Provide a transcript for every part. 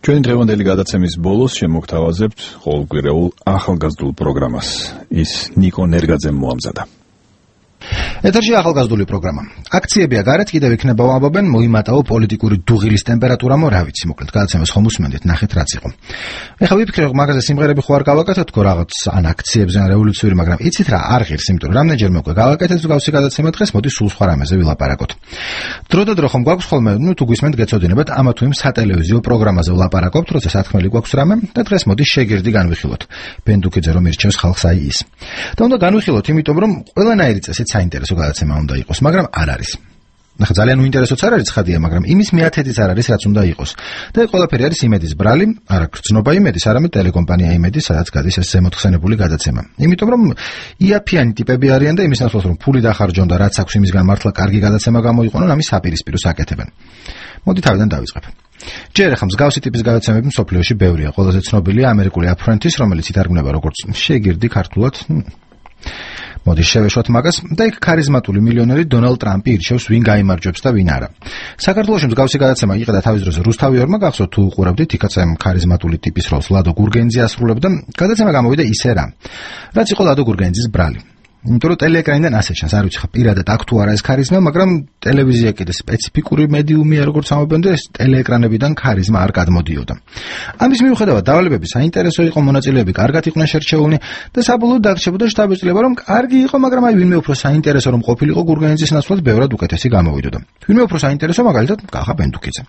Ჩვენ დღევანდელი გადაცემის ბოლოს შემოგთავაზებთ ყოველკვირეულ ახალგაზრდულ პროგრამას. ის ნიკო ნერგაძემ მოამზადა. ეთერში ახალგაზრდული პროგრამა. აქციებია გარეთ კიდევ იქნება ვამბობენ მოიმატაო პოლიტიკური დუღილის ტემპერატურამო რა ვიცი, მოკლედ გადაცემას ხომ უსმენდით, ნახეთ რაც იყო. ეხლა ვიფიქრე რომ მაგაზე სიმღერები ხო არ გავაკეთოთ თქო რაღაც ან აქციებზე ან რევოლუციური, მაგრამ იცით რა, არ ღირს, იმიტომ რომ რამდენჯერმე უკვე გავაკეთეთ მსგავსი გადაცემა დღეს, მოდი სულ სხვა რამეზე ვილაპარაკოთ. დროდადრო ხომ გვაქვს ხოლმე, თუ გვისმენთ გეცოდინებათ ამა თუ იმ სატელევიზიო პროგრამაზე ვლაპარაკობთ, როცა სათქმელი გვაქვს რამე და დღეს მოდი შეგირდი განვიხილოთ. ბენდუკიძე რომ ირჩევს ხალხს აი ის. და უნდა განვიხილოთ, იმიტომ რომ ყველანაირი წესით საინტერესო გადაცემა უნდა იყოს, მაგრამ არ არის. ნახე, ძალიან უინტერესოც არ არის ცხადია, მაგრამ იმის მიათედიც არ არის, რაც უნდა იყოს. და ეს ყველაფერი არის იმედის ბრალი, არა გრძნობა იმედის, არამედ ტელეკომპანია იმედი, სადაც გადის ეს ზემოთხსენებული გადაცემა. იმიტომ რომ იაფიანი ტიპები არიან და იმის ნაცვლად რომ ფული დახარჯონ და რაც აქვს იმისგან მართლა კარგი გადაცემა გამოიყენონ, ამის საპირისპიროს აკეთებენ. მოდი თავიდან დავიწყებ. ჯერ ახლა მსგავსი ტიპის გადაცემები მსოფლიოში ბევრია. ყველაზე ცნობილია ამერიკული აფრენთის, რომელიც ითარგმნება როგორც შეგირდი ქართულად. მოდი შევეშვათ მაგას და იქ ქარიზმატული მილიონერი დონალდ ტრამპი ირჩევს ვინ გაიმარჯვებს და ვინ არა. საქართველოში მსგავსი გადაცემა იყიდა თავის დროზე რუსთავი ორმა, გახსოვთ თუ უყურებდით, იქაც ამ ქარიზმატული ტიპის როლს ლადო გურგენიძე ასრულებდა. გადაცემა გამოვიდა ისე რა. რაც იყო ლადო გურგენიძის ბრალი. იმიტომ რომ ტელეეკრანიდან ასე ჩანს, არ ვიცი ხა პირადად აქ თუ არა ეს ქარიზმა, მაგრამ ტელევიზია კიდე სპეციფიკური მედიუმია, როგორც ამბობენ და ეს ტელეეკრანებიდან ქარიზმა არ გადმოდიოდა. ამის მიუხედავად დავალებები საინტერესო იყო, მონაწილეები კარგად იყვნენ შერჩეული და საბოლოოდ დაგრჩებოდა შტაბის წლება, რომ კარგი იყო, მაგრამ აი ვინმე უფრო საინტერესო რომ ყოფილიყო გურგენიძის ნაცვლად ბევრად უკეთესი გამოვიდოდა. ვინმე უფრო საინტერესო მაგალითად გახა ბენდუკიძე.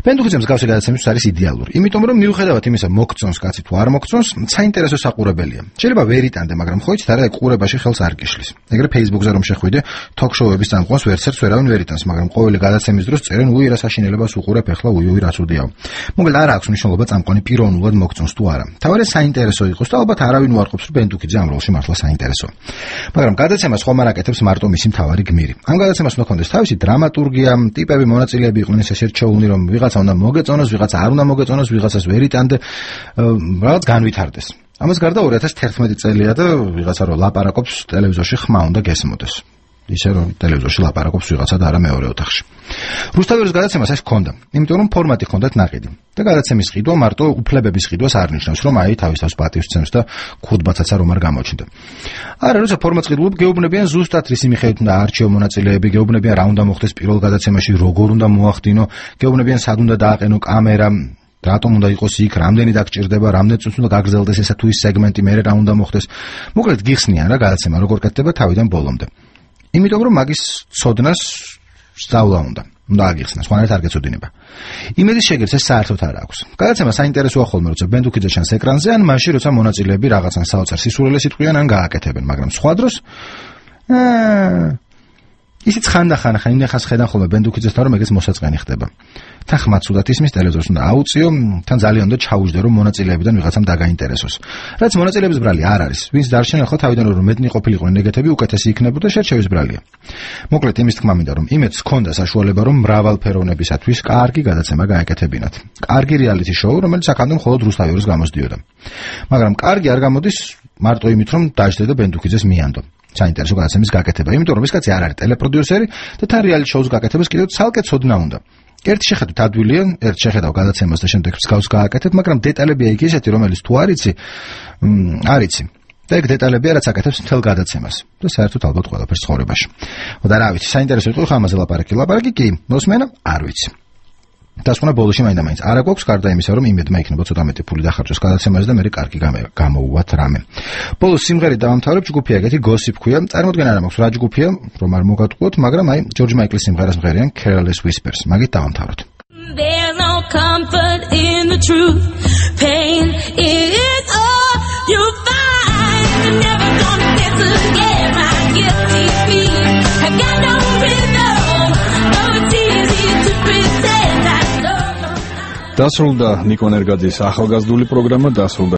ბენდუკიძე მსგავსი გადაცემისთვის არის იდეალური, იმიტომ რომ მიუხედავად იმისა მოგწონს კაცი თუ არ მოგწონს, საინტერესო საყურებელია. შეიძლება ვერ იტანდე, მაგრამ ხო იცით არა, ეგ ყურებაში ხელს არ გიშლის. ეგრე Facebook-ზე რომ შეხვიდე, თოქ-შოუების წამყვანს ვერცერთს ვერავინ ვერ იტანს, მაგრამ ყოველი გადაცემის დროს წერენ უი რა საშინელებას უყურებ, ეხლა უი რა ცუდიაო. მოკლედ არ აქვს მნიშვნელობა წამყვანი პიროვნულად მოგწონს თუ არა. თავარი საინტერესო იყოს და ალბათ არავინ უარყოფს, რომ ბენდუკიძე ამ როლში მართლა საინტერესოა. მაგრამ გადაცემას ხომ არ აკეთებს მარტო მისი მთავარი გმირი. ამ გადაცემას უნდა ჰქონდეს თავისი დრამატურგია, ტიპები, მონაწილეები იყვნენ ესე შერჩეული, რომ ვიღაცა უნდა მოგეწონოს, ვიღაცა არ უნდა მოგეწონოს, ვიღაცას ვერ იტანდე, რაღაც განვითარდეს. ამას გარდა 2011 წელია და ვიღაცა რო ლაპარაკობს ტელევიზორში ხმა უნდა გესმოდეს. ისე რომ ტელევიზორში ლაპარაკობს ვიღაცა და არა მეორე ოთახში. რუსთავის გადაცემას ეს ჰქონდა, იმიტომ რომ ფორმატი ჰქონდათ ნაყიდი. და გადაცემის ყიდვა მარტო უფლებების ყიდვას არ ნიშნავს, რომ აი თავის პატივს ცემს და ქურდბაცაცა რომ არ გამოჩნდა. არა, როცა ფორმატს ყიდულობ, გეუბნებიან ზუსტად რისი მიხედვით უნდა არჩიო მონაწილეები, გეუბნებიან რა უნდა მოხდეს პირველ გადაცემაში, როგორ უნდა მოახდინო, გეუბნებიან სად უნდა დააყენო კამერა, რატომ უნდა იყოს იქ, რამდენი დაგჭირდება, რამდენი წუთი უნდა გაგრძელდეს ესა თუ ის სეგმენტი, მერე რა უნდა მოხდეს. მოკლედ გიხსნიან რა გადაცემა როგორ კეთდება თავიდან ბოლომდე. იმიტომ რომ მაგის ცოდნას სწავლა უნდა აგიხსნას, ხوانერთ არ გეცოდინება. იმედის შეგირს ეს საერთოდ არ აქვს. გადაცემა საინტერესოა ხოლმე, როცა ბენდუკიძე ჩანს ეკრანზე, ან მაშინ, როცა მონაწილეები რაღაცან საოცარ სისულელეს იტყვიან ან გააკეთებენ, მაგრამ სხვა დროს ისიც ხანდახან ხან ხედან ხოლმე ბენდუკიძესთან რომ ეგეც მოსაწყენი ხდება. თან ხმა ცუდად ისმის ტელევიზორს უნდა აუწიო, თან ძალიან უნდა ჩაუჯდე რომ მონაწილეებიდან ვიღაცამ დაგაინტერესოს. რაც მონაწილეების ბრალი არ არის, ვინც დარჩენენ ხო თავიდან რომ მეტნი ყოფილიყო ნეგატივი უკეთესი იქნებოდა შერჩევის ბრალია. მოკლედ იმის თქმა მინდა რომ იმედს ჰქონდა საშუალება რომ მრავალფეროვნებისათვის კარგი გადაცემა გააკეთებინათ. კარგი რეალიტი შოუ, რომელიც აქამდე მხოლოდ რუსთავის გამოსდიოდა. მაგრამ კარგი არ გამოდის მარტო იმით რომ დაждდე და ბენდუკიძეს მიანდო. საინტერესო გადაცემის გაკეთება, იმიტომ რომ ეს კაცი არ არის ტელეპროდიუსერი და თან რეალიტი შოუს გაკეთებას კიდევ ცალკე ცოდნა უნდა. ერთ შეხედვით ადვილია, ერთ შეხედავ გადაცემას და შემდეგ მსგავს გააკეთებ, მაგრამ დეტალებია იქ ისეთი, რომელიც თუ არიცი, არიცი. და ეგ დეტალებია, რაც აკეთებს მთელ გადაცემას. და საერთოდ ალბათ ყველაფერს ცხოვრებაში. და რა ვიცი, საინტერესო იყო ხა ამაზე ლაპარაკი კი, მოსმენა არ ვიცი. დასკვნა ბოლოში მაინდა-მაინც არა გვაქვს, გარდა იმისა, რომ იმედმა იქნება ცოტა მეტი ფული დახარჯოს გადაცემაზე და მე კარგი გამოუვათ რამე. ბოლოს სიმღერით დავამთავრებ, ჯგუფია ეგეთი Gossip ქვია, წარმოდგენა არ მაქვს რა ჯგუფია, რომ არ მოგატყუოთ, მაგრამ აი ჯორჯ მაიკლის სიმღერას მღერიან Careless Whispers. მაგით დავამთავროთ. There's no comfort in the truth. Pain is all you find. You're never gonna get to get my guilty feet. I got no rhythm. Oh, it's easy to pretend I love. დასრულდა ნიკო ნერგაძის ახალგაზრდული პროგრამა, დასრულდა